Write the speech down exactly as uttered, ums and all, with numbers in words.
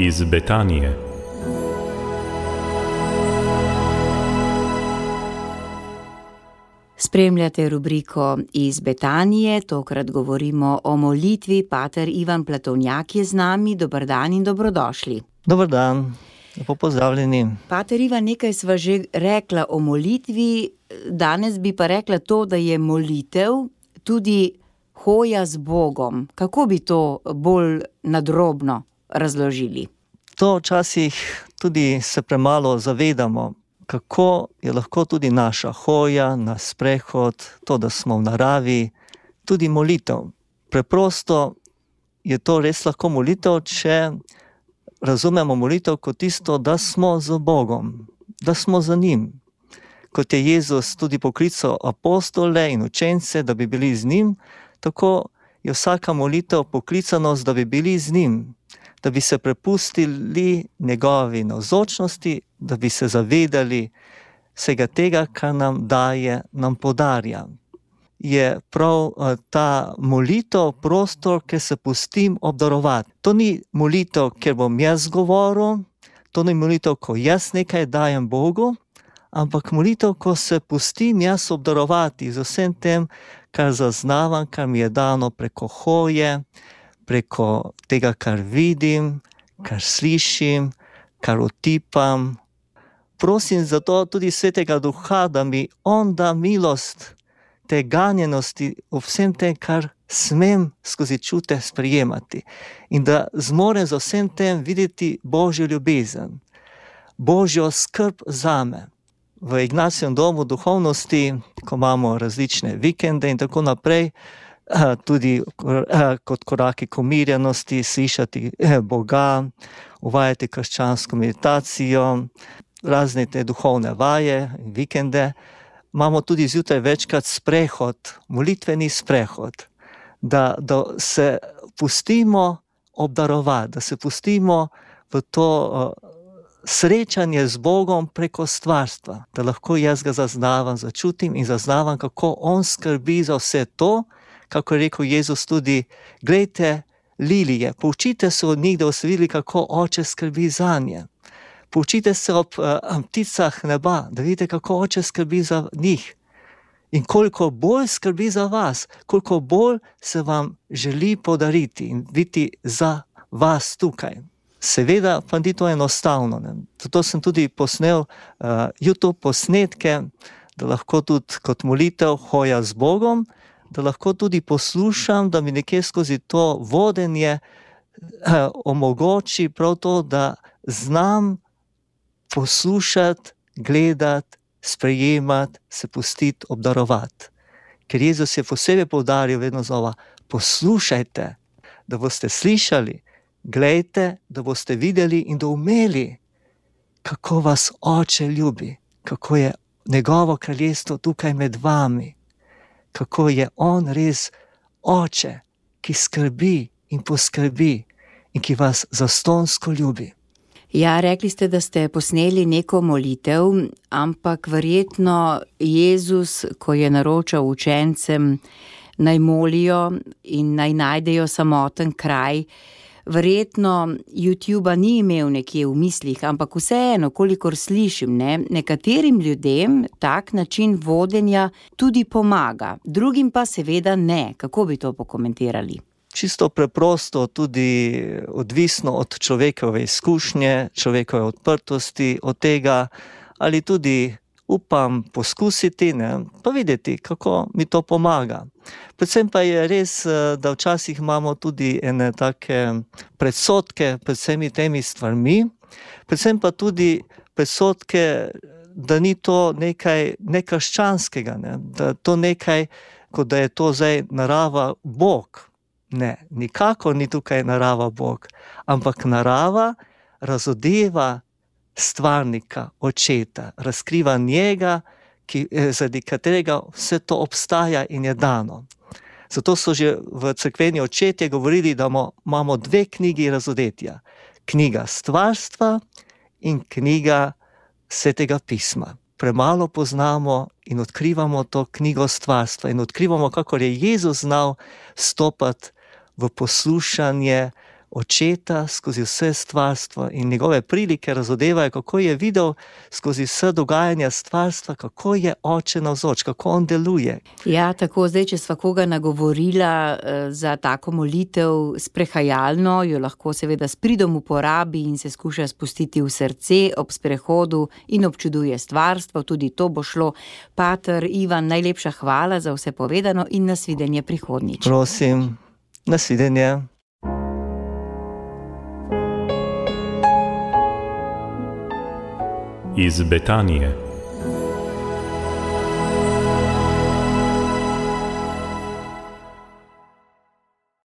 iz Betanije. Spremljate rubriko Iz Betanije, tokrat govorimo o molitvi. Pater Ivan Platovnjak je z nami. Dober dan in dobrodošli. Dober dan, lepo pozdravljeni. Pater Ivan, nekaj sva že rekla o molitvi, danes bi pa rekla to, da je molitev tudi hoja z Bogom. Kako bi to bolj nadrobno razložili? To včasih tudi se premalo zavedamo, kako je lahko tudi naša hoja, naš sprehod, to, da smo v naravi, tudi molitev. Preprosto je to res lahko molitev, če razumemo molitev kot tisto, da smo z Bogom, da smo za njim. Kot je Jezus tudi poklical apostole in učence, da bi bili z njim, tako je vsaka molitev poklicanost, da bi bili z njim, da bi se prepustili njegovi navzočnosti, da bi se zavedali vsega tega, kar nam daje, nam podarja. Je prav ta molitev prostor, kjer se pustim obdarovati. To ni molitev, kjer bom jaz govoril, to ni molitev, ko jaz nekaj dajem Bogu, ampak molitev, ko se pustim jaz obdarovati z vsem tem, kar zaznavam, kar mi je dano preko hoje, preko tega, kar vidim, kar slišim, kar otipam. Prosim zato tudi Svetega Duha, da mi on da milost te ganjenosti v vsem tem, kar smem skozi čute sprejemati. In da zmorem za vsem tem videti Božjo ljubezen, Božjo skrb zame. V Ignacijevem domu duhovnosti, ko imamo različne vikende in tako naprej, tudi kot koraki k umirjenosti, slišati Boga, uvajati krščansko meditacijo, razne te duhovne vaje in vikende, imamo tudi zjutraj večkrat sprehod, molitveni sprehod, da, da se pustimo obdarovati, da se pustimo v to uh, srečanje z Bogom preko stvarstva, da lahko jaz ga zaznavam, začutim in zaznavam, kako on skrbi za vse to, kako je rekel Jezus tudi, glejte lilije, poučite se od njih, da boste videli, kako oče skrbi zanje. Poučite se ob uh, pticah neba, da vidite, kako oče skrbi za njih. In koliko bolj skrbi za vas, koliko bolj se vam želi podariti in biti za vas tukaj. Seveda pa ni to enostavno. Ne? Zato sem tudi posnel uh, YouTube posnetke, da lahko tudi kot molitev hoja z Bogom, da lahko tudi poslušam, da mi nekje skozi to vodenje uh, omogoči prav to, da znam poslušati, gledati, sprejemati, se pustiti, obdarovati. Ker Jezus je posebej poudaril vedno znova, poslušajte, da boste slišali, glejte, da boste videli in doumeli, kako vas oče ljubi, kako je njegovo kraljestvo tukaj med vami, kako je on res oče, ki skrbi in poskrbi in ki vas zastonsko ljubi. Ja, rekli ste, da ste posneli neko molitev, ampak verjetno Jezus, ko je naročal učencem, naj molijo in naj najdejo samoten kraj, verjetno YouTubea ni imel nekje v mislih, ampak vseeno, kolikor slišim, ne, nekaterim ljudem tak način vodenja tudi pomaga, drugim pa seveda ne. Kako bi to pokomentirali? Čisto preprosto, tudi odvisno od človekove izkušnje, človekove odprtosti, od tega, ali tudi upam poskusiti, ne, pa videti, kako mi to pomaga. Predvsem pa je res, da včasih imamo tudi ene take predsodke pred vsemi temi stvarmi, predvsem pa tudi predsodke, da ni to nekaj nekrščanskega, ne, da to nekaj, kot da je to zdaj narava Bog. Ne, nikakor ni tukaj narava Bog, ampak narava razodeva stvarnika, očeta, razkriva njega, ki, zaradi katerega vse to obstaja in je dano. Zato so že v cerkveni očetje govorili, da imamo dve knjigi razodetja. Knjiga stvarstva in knjiga Svetega pisma. Premalo poznamo in odkrivamo to knjigo stvarstva in odkrivamo, kako je Jezus znal stopati v poslušanje, očeta skozi vse stvarstvo in njegove prilike razodevajo, kako je videl skozi vse dogajanja stvarstva, kako je oče navzoč, kako on deluje. Ja, tako zdaj, če sva koga nagovorila za tako molitev sprehajalno, jo lahko seveda s pridom uporabi in se skuša spustiti v srce ob sprehodu in občuduje stvarstvo, tudi to bo šlo. Pater Ivan, najlepša hvala za vse povedano in nasvidenje prihodnjič. Prosim, nasvidenje. Iz Betanije.